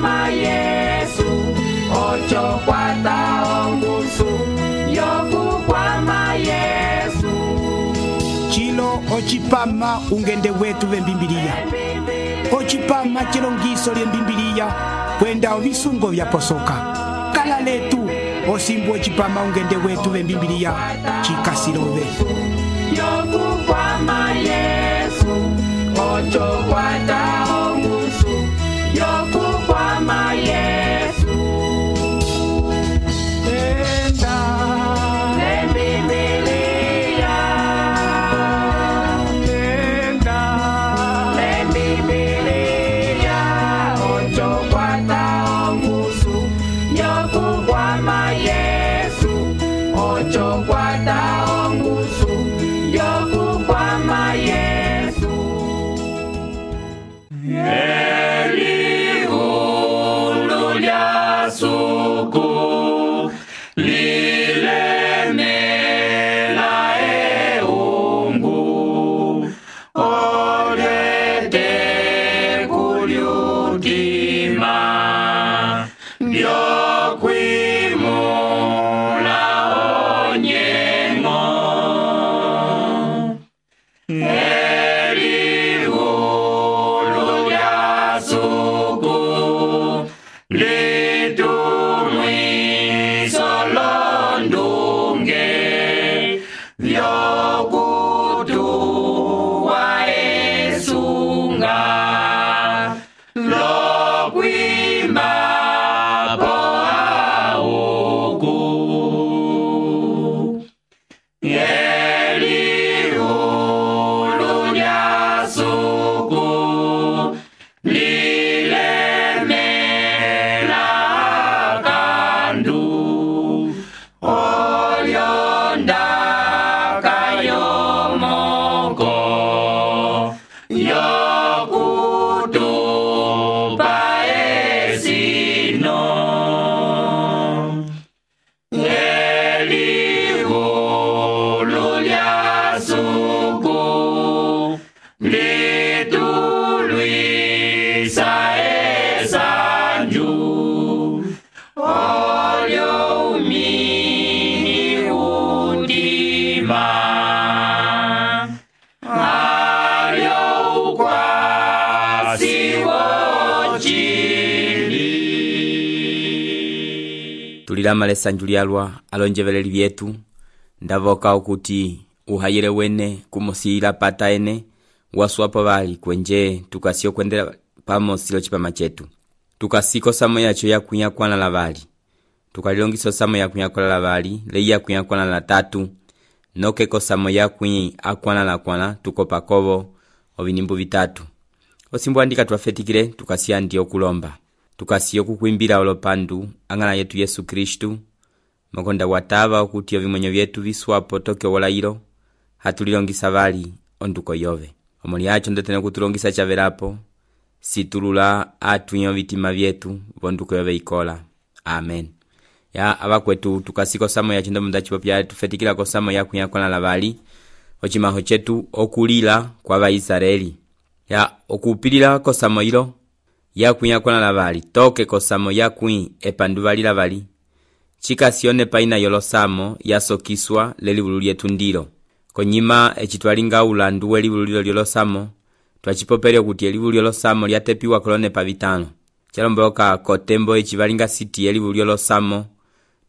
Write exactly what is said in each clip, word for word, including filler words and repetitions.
kwama Yesu ocho kwata ongusu yoku kwama Yesu chilo ochipama ungende wetu vembimbilia ochipama chilongiso lyembimbilia kwenda ovisungo vyaposoka kala letu osimbu ochipama ungende wetu vembimbilia chikasilove yoku kwama Yesu ocho kwata ongusu yoku kwama Yesu enda lembibilia enda lembibilia ocho kwata ongusu yoku kwama Yesu ocho kwata ongusu yoku kwama Yesu Eliulu lya suku lilemela eungu olyete kulyutima lyokwimula onyengo Eliulu lya suku litumwiso londunge vyokutuwa esunga lokwima po auku Eliulu lya suku lilemela kandu olyonda kayomoko yokutupa esino Eliulu lya suku litulwisa esanju olyo umini udima alyo ukwasi wochili tulilamala esanju lyalwa alonjeveleli vyetu ndavoka okuti uhayele wene kumusila pata ene waswapo vali kwenje tukasio kwendela pamo silo chipama chetu tukasiko samo yacho ya kunya kwana la vali tukalilongiso samo ya kunya kwana la vali leia kunya kwana la tatu noke kosamo ya kunya akwana la kwana tukopa kovo ovinimbu vitatu osimbu andika tuafetikile tukasia ndio kulomba tukasio kukuimbila olopandu angana yetu Yesu Kristu makonda watava okuti ovimwenyo vyetu viswapo toke wolailo hatulilongisa vali onduko yove omuli yacho ndetene kutulongisa chavelapo situlula atuyo vitima vyetu vonduko yove ikola amen ya abakwetu tukasiko samo ya chindo mundachi popya tufetikila ko samo ya kunyakona lavali ochimaho chetu okulila kwa Vaisraeli ya okupilila ko samo ilo ya kunyakona lavali toke ko samo ya kuin epanduvali lavali chikasione paina yolosamo yasokiswa lelivulu lyetu ndilo konyima echitwalinga ulandu welivulu lyolosamo twachipopelyo kuti elivulu lyolosamo lyatepiwa kolone pa vitano chalomboka kotembo echivalinga city elivulu lyolosamo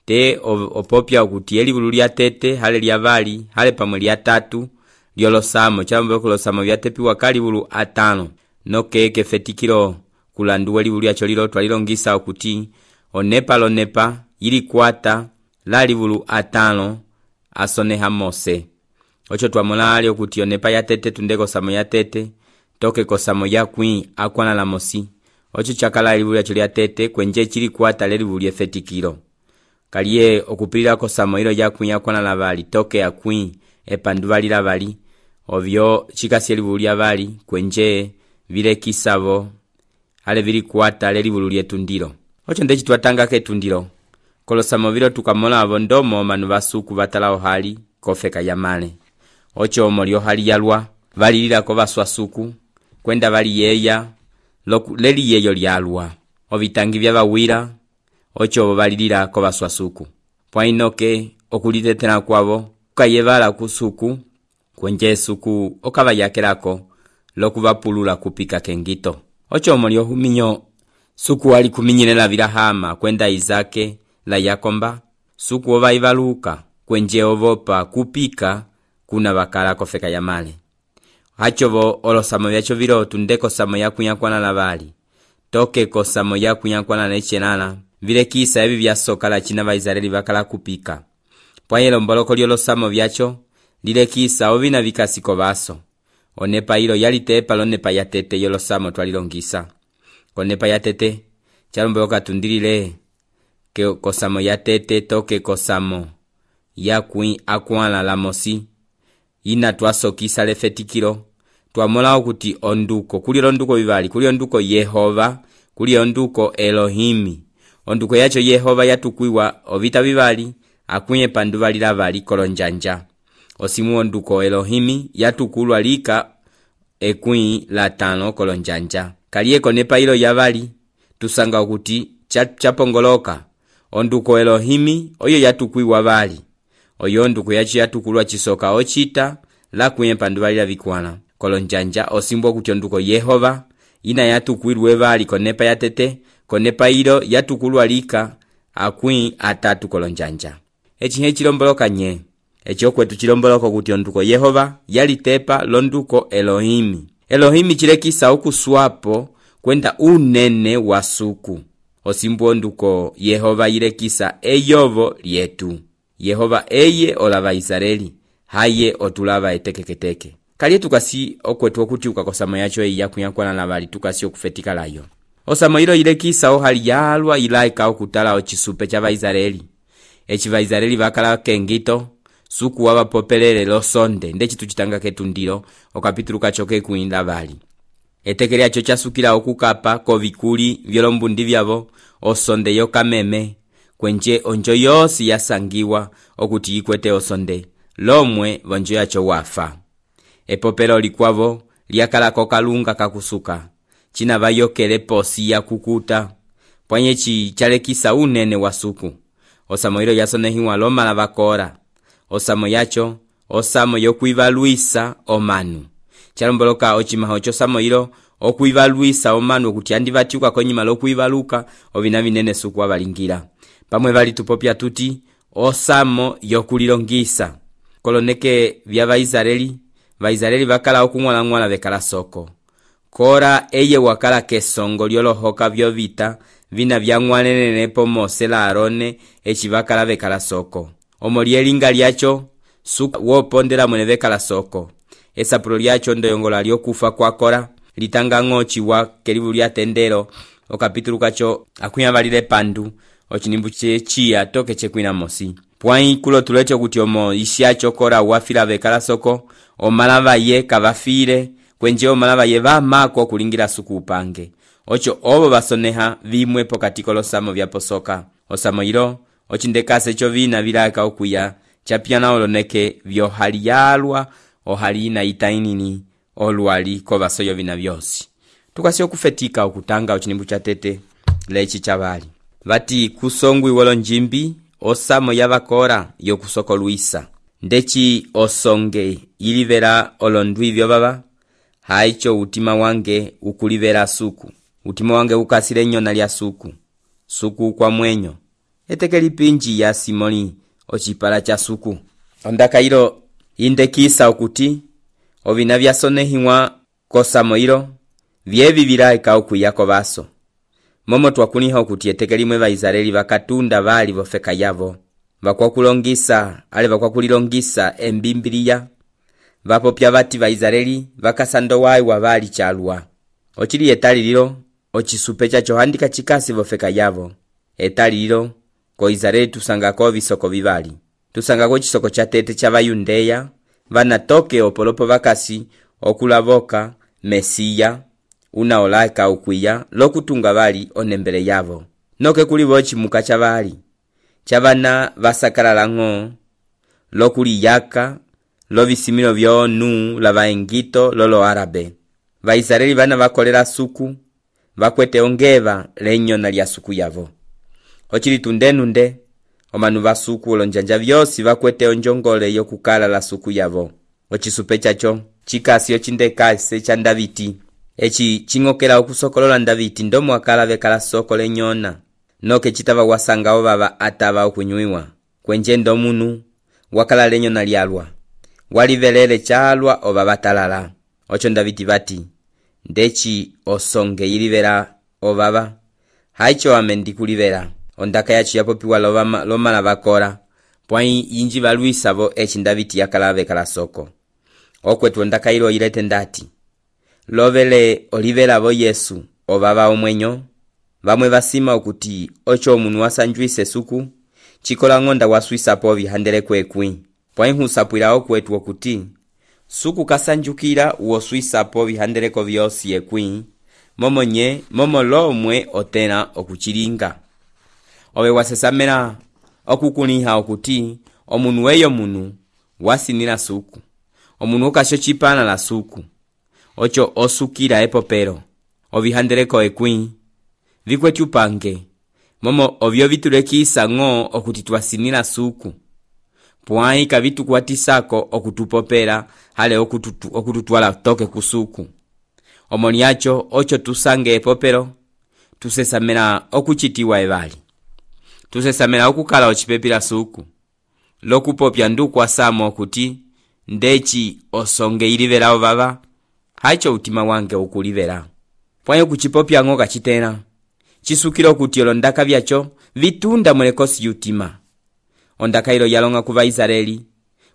te opopya kuti elivulu lyatete hale lyavali hale pamwe lyatatu lyolosamo chalomboka losamo lyatepiwa kalivulu atano noke kefetikilo kulandu welivulu lyacho lilo twalilongisa okuti onepa lonepa ili kwata lalivulu atano asoneha Mose ocho twamolali okuti onepa yatete tundeko samo yatete toke kosamo ya kwi akwana la Mosi ocho chakala elivulu lyacho lyatete kwenje chili kwata lelivulu lyefetikilo kaliye okupilila kosamo ilo ya kwi akwana la vali toke ya kwi epanduvali la vali ovyo chikasi elivulu lya vali kwenje vile kisavo ale vili kwata lelivulu lyetundilo ocho ndechi twatanga ketundilo kolosamo vilo tukamola avondomo manu vasuku vatalao hali kofeka yamale ocho omolio hali yalwa valilila ko vaswasuku kwenda vali yeya loku leli yeyo lyalwa ovitangi vyavawira ocho valilila kovaswa suku. Pwainoke okulitetela kwavo kukayevala kusuku kwenje suku okavayakelako lokuvapulula kupika kengito. Ocho omoli ohuminyo suku wali kuminyilela vilahama kwenda Izake la Yakomba suku ova ivaluka kwenje ovopa kupika kuna vakala kofeka ya male. Hachovo olosamo vyacho vilotu ndeko samo ya kunyakwana na vali toke kosamo ya kunyakwana na ichenana vile kisa evi vyasoka la china Vaisraeli vakala kupika. Pwanyelo mboloko lyolosamo vyacho lile kisa ovina vikasiko vaso onepa ilo yalitepa lonepa yatete yolosamo twalilongisa. Konepa yatete chalomboloka tundilile ke kosamo yatete toke kosamo ya kui akwala la mosi ina twasokisa lefetikilo twamola okuti onduko kuli onduko vivali kuli onduko Yehova kuli onduko Elohimi. Onduko yacho Yehova yatukwiwa ovita vivali akuye panduvali lavali kolonjanja. Osimu onduko Elohimi yatukulwa lika ekui la tano kolonjanja. Kalieko nepa ilo yavali tusanga okuti chapongoloka onduko Elohimi oyo yatukwiwa vali oyo onduko yacho yatukulwa chisoka ochita la kuye panduvali lavikwana kolonjanja. Osimbo okuti onduko Yehova ina yatukwirwe vali konepa yatete konepa ilo yatukulwa lika akui atatu kolonjanja. Echi he chilomboloka nye echo kwetu chilomboloka kuti onduko Yehova yalitepa londuko Elohimi. Elohimi chilekisa okuswapo kwenda unene wa suku. Osimbo onduko Yehova yilekisa eyovo lyetu. Yehova eye olava Israeli haye otulava etekeketeke. Kali tukasi okwetu okuti ukakosamo yacho eya kunyakwana na vali tukasi okufetika layo. Osamo ilo yilekisa ohali yalwa ilaika okutala ochisupe cha Vaisraeli. Echi Vaisraeli vakala kengito suku wava popelele losonde ndechi tuchitanga ketundilo okapitulu kachoke kuinda vali. Etekele yacho chasukila okukapa kovikuli vyolombundi vyavo osonde yokameme kwenje onjo yosi yasangiwa okuti ikwete osonde lomwe vonjo yacho wafa. Epopelo likwavo liakala kokalunga kakusuka china vayokele posi ya kukuta pwanyechi chalekisa unene wa suku. Osamo ilo yasonehiwa loma la vakora. Osamo yacho osamo yokuivaluisa omanu. Chalomboloka ochimaho chosamo ilo okuivaluisa omanu okuti andivatiuka konyima lokuivaluka ovina vinene suku avalingira. Pamwe vali tupopya tuti osamo yokulilongisa. Koloneke vya Vaisraeli Vaisraeli vakala okungwala vekala soko. Kora eye wakala kesongo lyolohoka vyovita vina vyangwanenenepo Mose la Arone echi vakala vekala soko. Omolielinga lyacho suku wopondela mwene vekala soko. Esapulo lyacho ndoyongola lyokufa kwa Kora litanga ngochi wa kelivu lya tendero okapitulu kacho akuya valile pandu ochinimbu chechiya toke chekwina mosi. Pwai kulo tulecho kuti omo isyacho Kora wafila vekala soko omalava ye kavafile kwenje omalava ye vamako kulingira suku upange. Ocho ovo basoneha vimwe pokati kolosamo vya posoka. Osamo ilo ochindekase cho vina vilaka okuya chapiana oloneke vyo hali yalwa ohali na itainini olwali kovasoyo vina vyosi. Tukasi okufetika okutanga ochinimbu cha tete lechi chavali. Vati kusongwi wolo njimbi osamo yavakora yokusoko luisa. Ndechi osonge ilivera olondwi vyo baba haicho utima wange ukulivera suku. Utima wange ukasile nyona lya suku. Suku kwa mwenyo. Etekeli pinji ya Simoni ochipala cha suku. Ondaka ilo indekisa okuti ovina vyasonehiwa kosamo ilo vyevi vilaika okuyako baso. Momo twakuniha okuti etekeli mwe Vaisraeli vakatunda vali vofeka yavo. Vakwakulongisa ale vakwakulilongisa embimbiliya. Vapopya vati Vaisraeli vakasando wai wa vali chalwa. Ochili etali lilo ochisupe chacho handika chikasi vofeka yavo. Etali lilo ko Israeli tusangako visoko vivali. Tusangako chisoko cha tete cha Vayundeya vanatoke opolopo vakasi okulavoka Mesiya una olaika ukwiya lokutunga vali onembele yavo. Noke kulivochi muka cha vali chavana vasakala lango lokuli yaka lo visimilo vyonu la vaengito lolo arabe. Vaisraeli vana vakolera suku vakwete ongeva lenyona lya suku yavo. Ochili tundenunde omanu va suku olonjanja vyosi vakwete onjongole yokukala la suku yavo. Ochisupe chacho chikasi ochindekase cha Ndaviti echi chingokela okusokolola Ndaviti ndomo akala vekala soko lenyona noke chitava wasanga ovava atava okunywiwa kwenje ndomunu wakala lenyona lyalwa walivelele chalwa ovava talala. Ocho Ndaviti vati ndechi osonge yilivera ovava haicho amendi kulivera ondaka yachi yapopiwa loma lomala vakora pwai inji valuisa vo echi Ndaviti yakala vekala soko. Okwetu ondaka ilo ilete ndati lovele olivela vo Yesu ovava omwenyo vamwe vasima okuti ocho omunu wasanjuise suku chikola ngonda waswisa po vihandele kwekwi pwai husapwila okwetu okuti suku kasanjukila uoswisa po vihandeleko vyosi ekwi momo nye momo lomwe otena okuchilinga. Owe wasesamela okukuniha okuti omunu weyo munu wasinila suku omunu okasho chipana la suku ocho osukila epopero ovihandeleko ekwi vikwetu pange momo ovyo vitulekisa ng'o okuti twasinila suku pwai kavitukwatisako okutupopera hale okututu, okututwala toke kusuku. Omoni yacho ocho tusange epopero tusesamela okuchitiwa evali tusesamela okukala ochipepila suku lokupopya nduku asamo okuti ndechi osonge ilivela ovava haicho utima wange ukulivela pwai okuchipopya ng'o kachitena chisukilo kuti olondaka vyacho vitunda mulekosi yutima. Ondaka ilo yalonga kuva Israeli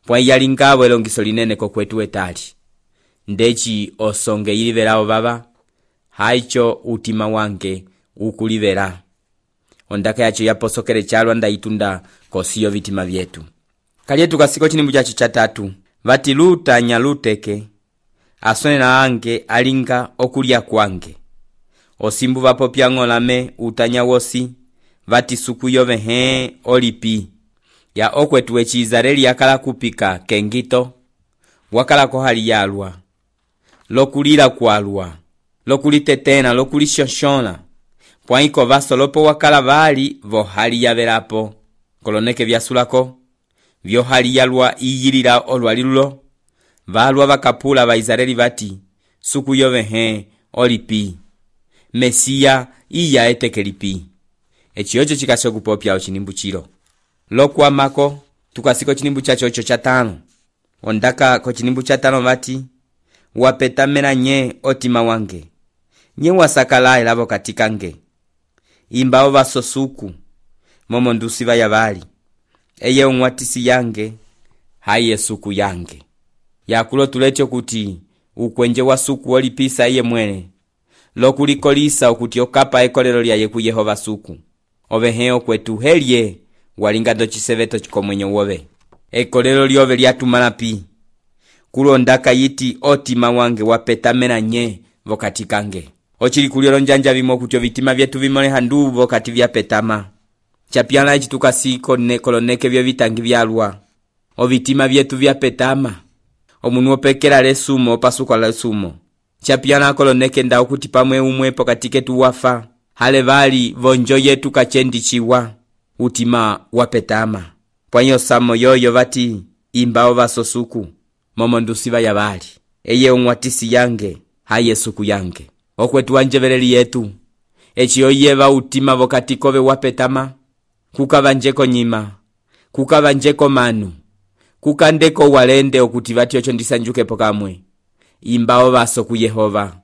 pwai yalingabo elongiso linene kokwetu etali ndechi osonge ilivela ovava haicho utima wange ukulivela. Ondaka yacho yaposokele chalwa ndaitunda kosiyo vitima vyetu. Kalietu kasiko chinimbu chacho chatatu vati luta nyaluteke asonela ange alinga okulya kwange osimbu vapopya ng'olame utanya wosi vati suku yove he olipi ya okwetu echi Israeli yakala kupika kengito wakala kohali yalwa lokulila kwalwa lokulitetena lokulishonshona pwaiko vasolopo wakala vali vohali yavelapo koloneke vyasulako vyohali yalwa iyilila olwalilulo valwa vakapula va Israeli vati suku yove he olipi Mesia iya etekelipi. Echi ocho chikasho kupopya ochinimbu chilo lokwamako tukasiko chinimbu chacho ocho chatano. Ondaka ko chinimbu chatano vati wapetamela nye otima wange nye wasakala elavo katikange imbao vasosuku momo ndusiva yavali eye umwatisi yange haye suku yange yakulo tulecho kuti ukwenje wa suku olipisa iye mwene lokulikolisa okuti okapa ekolelo lyaye ku Yehova suku oveheo kwetu helye walinga do chiseveto chikomwenyo wove ekolelo lyove lyatumala pi kulondaka yiti otima wange wapetamela nye vokati kange ochili kuliolo njanja vimo kuti vitima vyetu vimole handu vokati vyapetama chapiana ichi tukasiko nekoloneke vyo vitangi vyalwa ovitima vyetu vyapetama omunu opekela lesumo opasuka lesumo chapiana koloneke nda okuti pamwe umwe pokati ketu wafa hale vali vonjo yetu kachendichiwa utima wapetama pwanyo samo yoyo vati imbao vasosuku momo ndusiva ya vali eye umwatisi yange haye suku yange okwetu wanjeveleli yetu echi oyeva utima vokati kove wapetama kukavanjeko nyima kukavanjeko manu kukandeko walende okuti vati ocho ndisanjuke pokamwe imbao vaso ku Yehova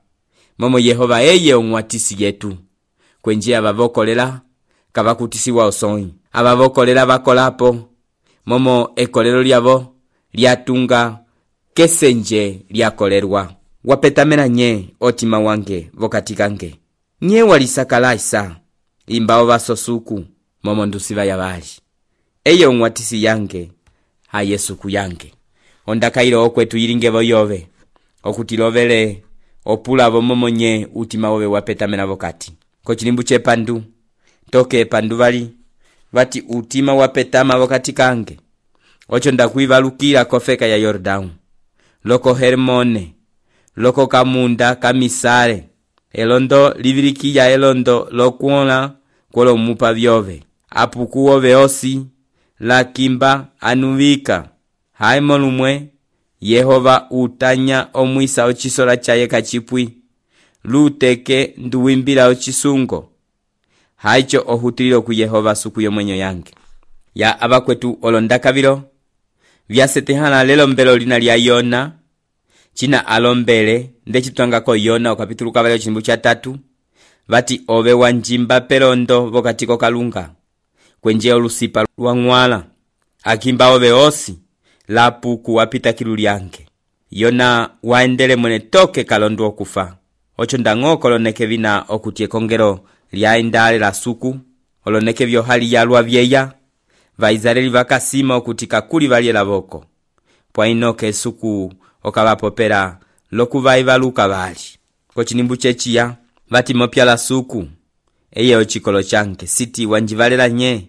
momo Yehova eye umwatisi yetu kwenje abavokolela kavakutisiwa osoi abavokolela vakolapo momo ekolelo lyavo lyatunga kesenje lyakolerwa wapetamela nye otima wange vokati kange nye walisakalaisa imbao vasosuku momo ndusiva yavali eye umwatisi yange haye suku yange ondaka ilo okwetu yilinge voyove okuti lovele opulavo momo nye utima wove wapetamela vokati ko chilimbu chepandu toke pandu vali vati utima wapetama vokati kange ocho ndakuivalukila kofeka ya Yordao loko Hermone loko kamunda kamisale elondo livilikiya elondo lokuola kwolomupa vyove apuku wove osi lakimba anuvika haimo lumwe Yehova utanya omwisa ochisola chaye kachipwi luteke nduwimbila ochisungo haicho ohutililo ku Yehova suku yomwenyo yange ya abakwetu olondakavilo vyasetehana lelombelo lina lya Yona china alombele ndechitwangako Yona okapitulu kavalio chimbu cha tatu vati ove wanjimba pelondo vokatiko kalunga kwenje olusipa lwa ng'wala akimba ove osi lapuku wapita kilu lyange Yona waendele mwene toke kalondo okufa ocho ndang'oko loneke vina okutie kongelo lyaendale la suku oloneke vyo hali yalwa vyeya vaizareli vakasima okutika kuli valye lavoko pwa inoke suku okavapopera lokuvaivaluka vali kochinimbu chechiya vati mopya la suku eye ochikolo chanke siti wanjivalela nye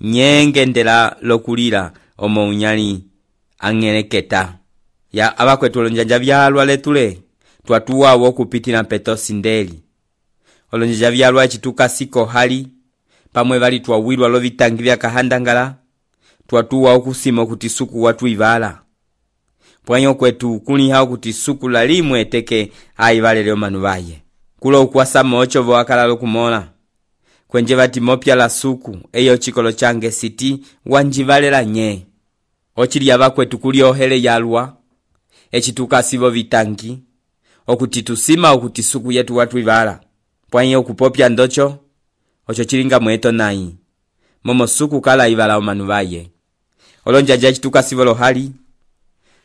nyengendela lokulila omo unyali ang'eleketa ya abakwetu olonjanja vyalwa letule twatuwa wokupitila petosi ndeli olonjanja vyalwa chituka siko hali pamwe vali twawilwa lovitangi vya kahandangala twatuwa okusima kuti suku watu ivala pwanyo kwetu kuni hao kuti suku lalimwe teke aivalele omanu vaye kulo ukwasa mocho vo akala lokumola kwenje vati mopya la suku eyo chikolo change siti wanjivalela nye ochili abakwetu kuli ohele yalwa echituka sivo vitangi okuti tusima okuti suku yetu watu ivala pwanyo kupopya ndocho ocho chilinga mweto nai momo suku kala ivala omanu vaye olonjanja chituka sivo lohali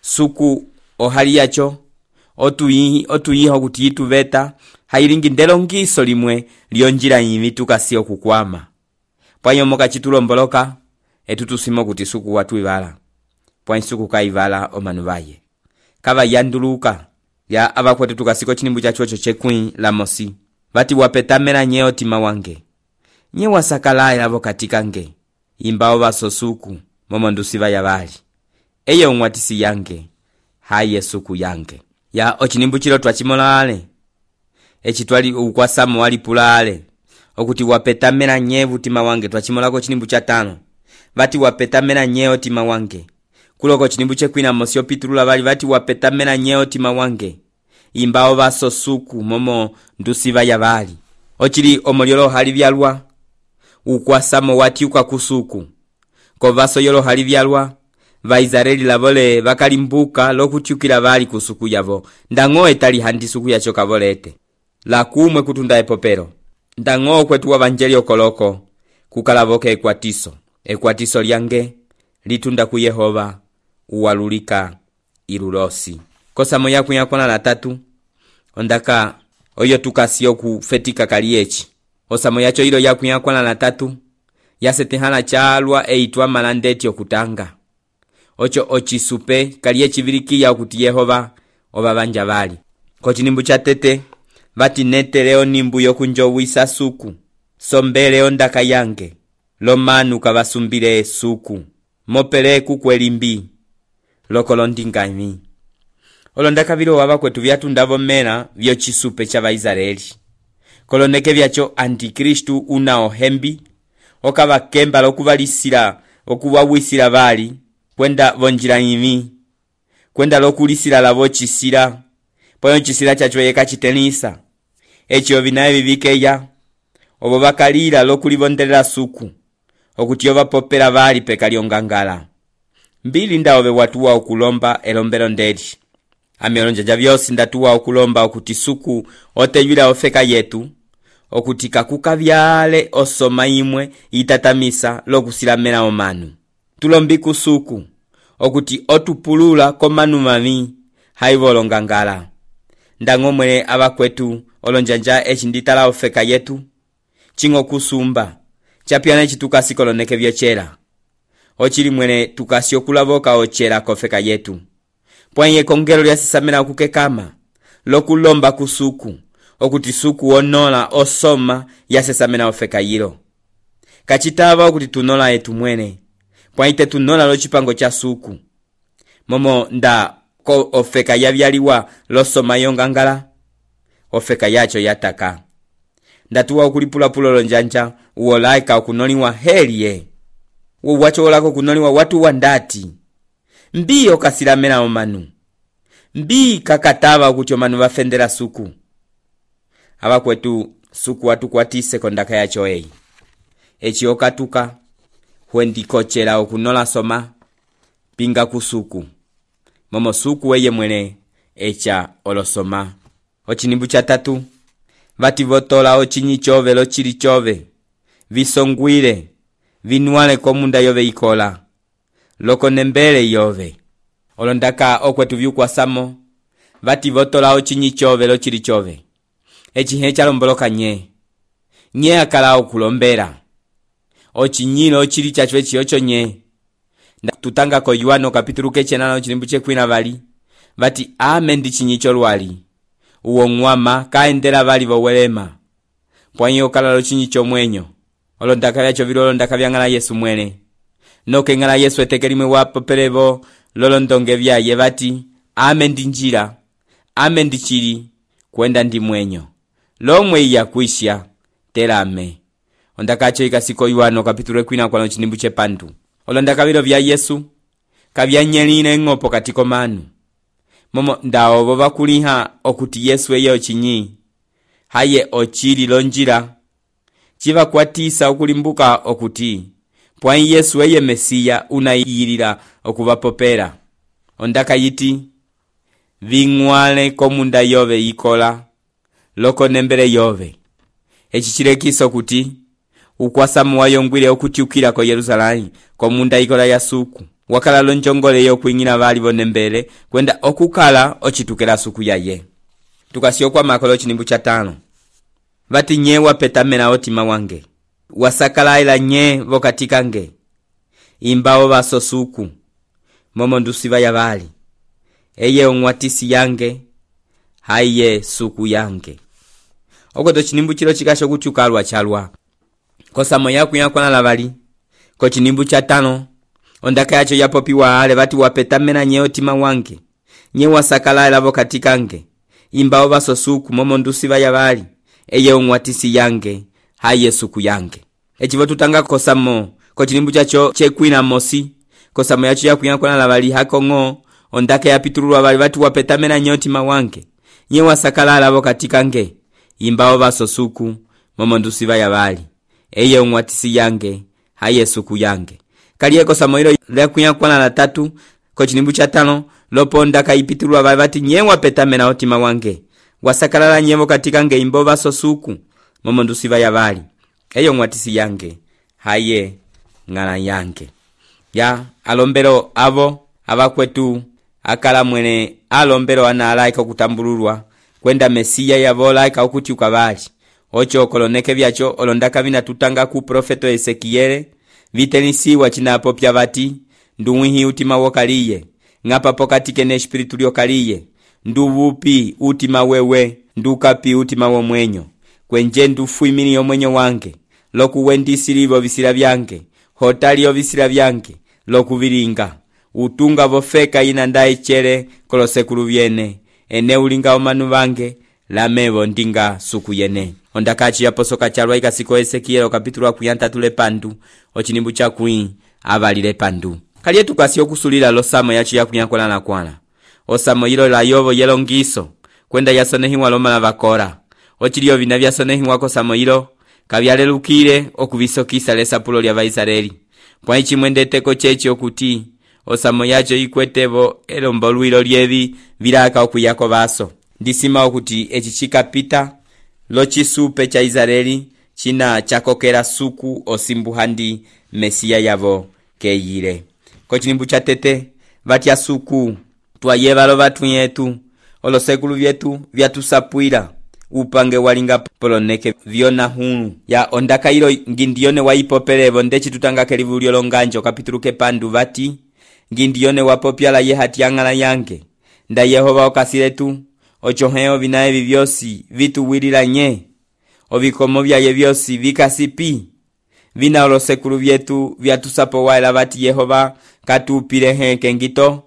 suku ohali yacho otuyi otuyiho kuti ituveta hailingi ndelongiso limwe lyonjira yimituka sio kukwama pwanyo moka chitulomboloka etutusimo kuti suku watu ivala pwanyo suku kaivala omanu vaye kava yanduluka ya abakwetu tukasiko chinimbu cha chocho chekwi la mosi vati wapetamela nye otima wange nye wasakala ilavo katika nge imbao vaso suku momo ndusiva ya vali eye umwatisi yange haye suku yange ya ochinimbu chilo twachimolale echitwali ukwasamo walipulale okuti wapetamela nye vutima wange twachimolako chinimbu cha tano vati wapetamela nye otima wange kuloko chinimbu chekwina mosi opitulula vali vati wapetamela nye otima wange imbao vaso suku momo ndusiva ya vali ochili omoliolo hali vyalwa ukwasamo watiuka kusuku kovaso yolo hali vyalwa vaizareli lavole vakalimbuka lokutiukila vali kusuku yavo ndang'o etali handi suku yacho kavolete la kumwe kutunda epopero ndang'o kwetu wavanjeli okoloko kukalavoke ekwatiso ekwatiso lyange litunda ku Yehova uwalulika ilulosi kosamo yaku yakona la tatu ondaka oyo tukasio kufetika kaliechi osamo yacho ilo yaku yakona la tatu yasetehana chalwa eitwa malandeti okutanga ocho ochisupe kaliechi vilikiya okuti Yehova obabanja vali kochinimbu cha tete vati neteleo nimbu yokunjowisa suku sombele ondaka yange lomanu kavasumbile suku mopele kukwelimbi lokolondingami olondaka vilo wava kwetu vyatundavo mela vyo chisupe cha Vaisraeli koloneke vyacho antikristu una ohembi okava kemba lokuvalisila okuwawisila vali kwenda vonjila imi kwenda lokulisila lavo chisila poyo chisila chacho yeka chitenisa echo vinaye vivikeya obo bakalila lokulivondelela suku okuti ovapopela vali pekalyongangala mbili ndaove watuwa okulomba elombelo ndeli amelonjanja vyosi ndatuwa okulomba okuti suku oteyula ofeka yetu okuti kakuka vyale osoma imwe itatamisa lokusilamela omanu tulombi kusuku okuti otupulula komanu mami haivolongangala ndang'omwe abakwetu olonjanja echinditala ofeka yetu chingo kusumba chapiana chitukasi koloneke vyochela ochili mwene tukasio kulavoka ochela kofeka yetu pwanye kongelo lyasisamela kukekama lokulomba kusuku okuti suku onola osoma yasesamela ofeka yilo kachitava okuti tunola etu mwene pwanye tunola lochipango cha suku momo nda ko ofeka yavyaliwa losoma yongangala ofeka yacho yataka. Ndatuwa ukulipula-pula lonjanja uolaika ukunoliwa heliye. Uwacho olako kunoliwa watu wandati. Mbii okasilamela omanu. Mbii kakatava ukucho manu wafendela suku. Hawa kwetu suku watu kwatise kondaka yacho ei. Echi okatuka huendikochela okunola soma pinga kusuku. Momo suku weye mwene echa olosoma. Ochinimbu cha tatu. Vati votola ochinyi chove lo chili chove. Visongwile. Vinuale komunda yove ikola. Loko nembele yove. Olondaka okwetu viu kwa samo. Vati votola ochinyi chove lo chili chove. Echi hecha lomboloka nye. Nye akala okulombera. Ochinyilo ochili chachwe chiocho nye. Tutanga ko Yohano kapitulu kechenana ochilimbu chekwina vali. Vati ame ndi chinyicho lwali. Uwo ngwama kaendela vali vowelema. Pwanyi okala lo chinyicho mwenyo. Olondaka vyacho vilo olondaka vyangala Yesu mwene. Noke ngala Yesu etekelimwe wapo pelevo lolondonge vyaye vati ame ndi njira. Ame ndi chili kwenda ndi mwenyo. Lomwe iya kuisha telame. Ondakacho ikasiko Yohano kapitulu kwina kwa chinimbu chepandu. Olondaka vilo vya Yesu kavyanyeline ngopo katiko manu. Momo ndao boba kuliha okuti Yesu eye ochinyi. Haye ochili lonjira. Chiva kwatisa okulimbuka okuti. Pwani Yesu eye Mesiya unayirira okuvapopera. Ondaka yiti. Vingwale komunda yove ikola. Loko nembele yove. Echichirekiso kuti. Ukwasamu wayongwile okutiukira ko Yerusalemu komunda ikola ya suku. Wakala lonjongole yo kuingina vali vonembele kwenda okukala ochitukela suku yaye. Tukasio kwa makolo chinimbu cha tano. Vati nye wapetamena otima wange. Wasakala ila nye vokatika nge. Imbao vaso suku. Momo ndusiva ya vali. Eye ongwatisi yange. Haye suku yange. Okoto chinimbu chilo chikasho kutiukalwa chalwa. Kosamo yaku yakwana lavali. Ko chinimbu cha tano. Ondaka yacho yapopiwa ale vati wapetamena nye otima wange. Nye wasakala ila vokatika nge. Imbao vaso suku momo ndusiva ya vali. Eye ongwatisi yange. Haye suku yange. Echivo tutanga kosamo. Ko chinimbu chacho chekwina mosi. Kosamo yacho yaku yakwana lavali hako ngo. Ondaka yapitulwa vali vati wapetamena nye otima wange. Nye wasakala ila vokatika nge. Imbao vaso suku momo ndusiva ya vali. Eye ongwatisi yange. Haye suku yange. Kaliye kosamo hilo lekunya kwa la tatu. Ko chinimbu cha tano. Lopo ndaka ipitulwa vali vati nye wapetamena otima wange. Wasakalala nyevo katika nge imbo vaso suku momo ndusiva ya vali. Eye ongwatisi yange. Haye ngala yange. Ya alombero avo ava kwetu akala mwene alombero analaika kutambululwa kwenda Mesiya yavolaika okutiuka vali. Ocho koloneke vyacho olondaka vina tutanga ku profeto Ezekiele vitenisiwa chinapo pya vati nduwihi utima wokaliye ngapa pokatike ne espiritu lyokaliye nduvupi utima wewe ndukapi utima wo mwenyo kwenje ndufuimini yo mwenyo wange lokuwendisilivo visila vyange hotaliyo visila vyange lokuvilinga utunga vofeka ina ndae chere kolosekulu vyene ene ulinga omanu vange lamevo ndinga suku yene. Ondakachi ya posoka chalwa ikasiko Ezekiel kapitulu akuyanta tule pandu ochinimbu cha kui avalile pandu. Kaliye tukasio kusulila losamo yachi ya kunyakola na kwana. Osamo hilo la yovo yelo ngiso kwenda yasonehiwa loma la vakora. Ochiliyo vina vyasonehiwa kosamo hilo kavyale lukile okuvisokisa lesa pulo lya Vaisareli. Kwa ichi mwendeteko chechi okuti osamo yacho ikwetevo elombo luilo lievi vilaka okuyako vaso. Ndisima okuti echi chikapita lo chisupe cha Israeli china chakokera suku osimbuhandi Mesiya yavo keyile. Ko chinimbu cha tete vatia suku twayevalo vatu yetu olosekulu vyetu vyatusapwila upange walinga poloneke viona hunu ya ondaka ilo ngindione waipopelevo ndechi tutanga kelivulio longanjo kapitulu kepandu vati ngindione wapopyala ye hatiangala yange nda Yehova okasiletu ochoheo vinae vivyosi vitu wilila nye ovikomo vyaye vyosi vikasipi vina olosekulu vyetu vyatusapo waela vati Yehova katupile heke ngito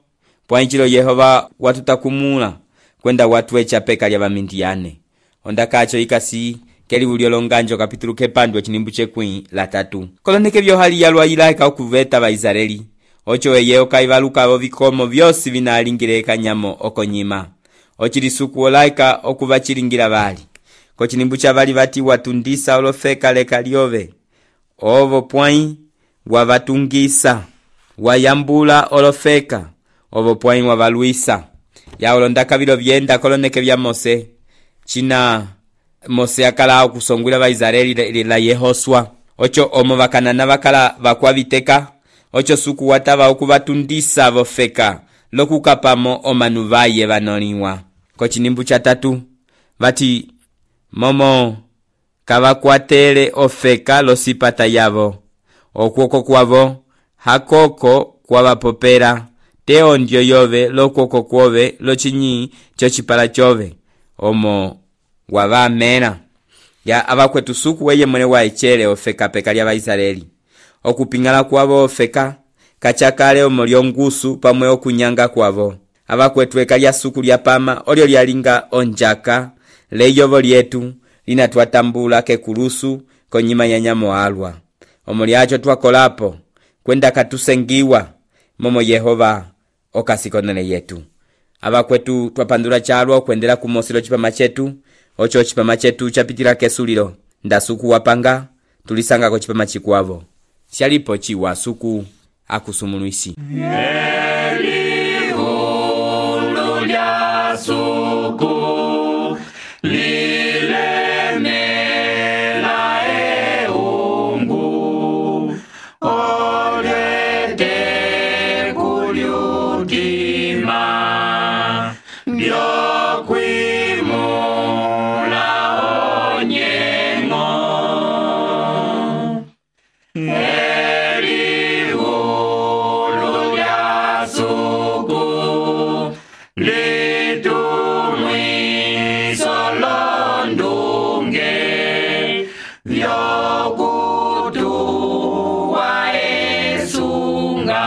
pwanchilo Yehova watutakumula kwenda watu echa peka lya vamindiane. ondakacho ikasi kelivulyo longanjo kapitulu kepandwa chinimbu chekwĩ la tatu. Koloneke vyohali yalwa ilaika okuveta Vaisraeli ocho eyeyo kaivalukavo vikomo vyosi vinalingile kanyamo okonyima ochilisuku olaika okuvachilingira vali kochinimbu cha vali vati watundisa olofeka leka lyove ovo pwai wavatungisa wayambula olofeka ovo pwai wavalwisa yaolondaka vilo vyenda koloneke vya Mose china Mose akala okusongwila Vaisraeli la Yehoswa ocho omo vakanana vakala vakwaviteka ocho suku watava okuvatundisa vofeka lokukapamo omanuvaye vanoliwa kochinimbu cha tatu vati momo kavakwatele ofeka losipata yavo okuoko kwavo hakoko kwavapopera te ondyo yove lokuoko kwove lochinyi chochipala chove omo wavamera ya avakwetu suku weye mwene waechele ofeka peka lya Vaisraeli okupingala kwavo ofeka kachakale omo lyongusu pamwe okunyanga kwavo avakwetu eka lya suku lya pama olyo lyalinga onjaka leyovo lyetu linatwatambula kekulusu konyima ya nyamo alwa omo lyacho twakolapo kwenda katusengiwa momo Yehova okasikonele yetu avakwetu twapandula chalwa okwendela kumosilo chipama chetu ocho chipama chetu chapitila kesulilo ndasuku wapanga tulisanga ko chipama chikwavo syalipo chiwa suku akusumuluisi Elihulu lya suku lilemela eungu olete kulyutima byokwimula onyengo Elihulu lya suku litumwiso londunge vyokutuwa esunga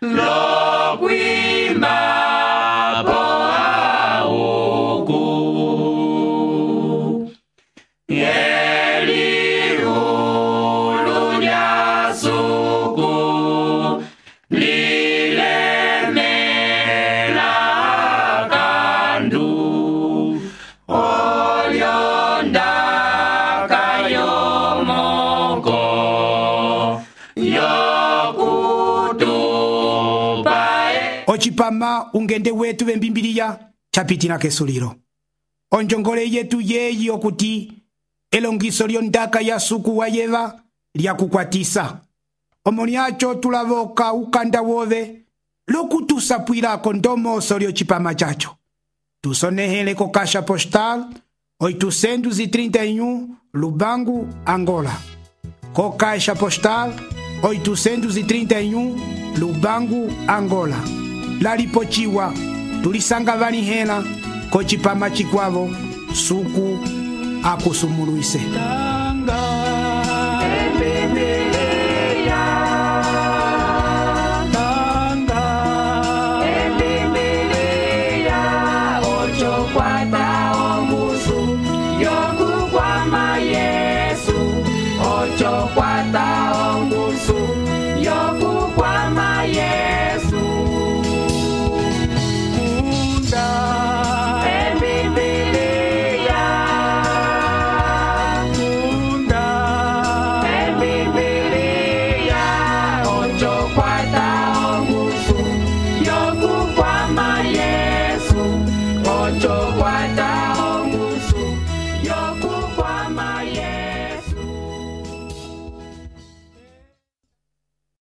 lokwimba po auku Elihulu lya suku lilemela kandu olyondaka yomoko yokutupa ochipama ungende wetu vembimbiliya chapitila kesulilo onjongole yetu yeyi okuti elongiso lyondaka ya suku wa yeva lyakukwatisa omo lyacho tulavoka ukanda wove lokutusapwilako ndomoso lyocipama chacho tusonehele ko kasha postal oitocentos e trinta e um Lubango, Angola. Co caixa postal oitocentos e trinta e um Lubango, Angola. Lalipochiwa tulisanga vanihela kochipama chikwavo suku akusumuluise. Yo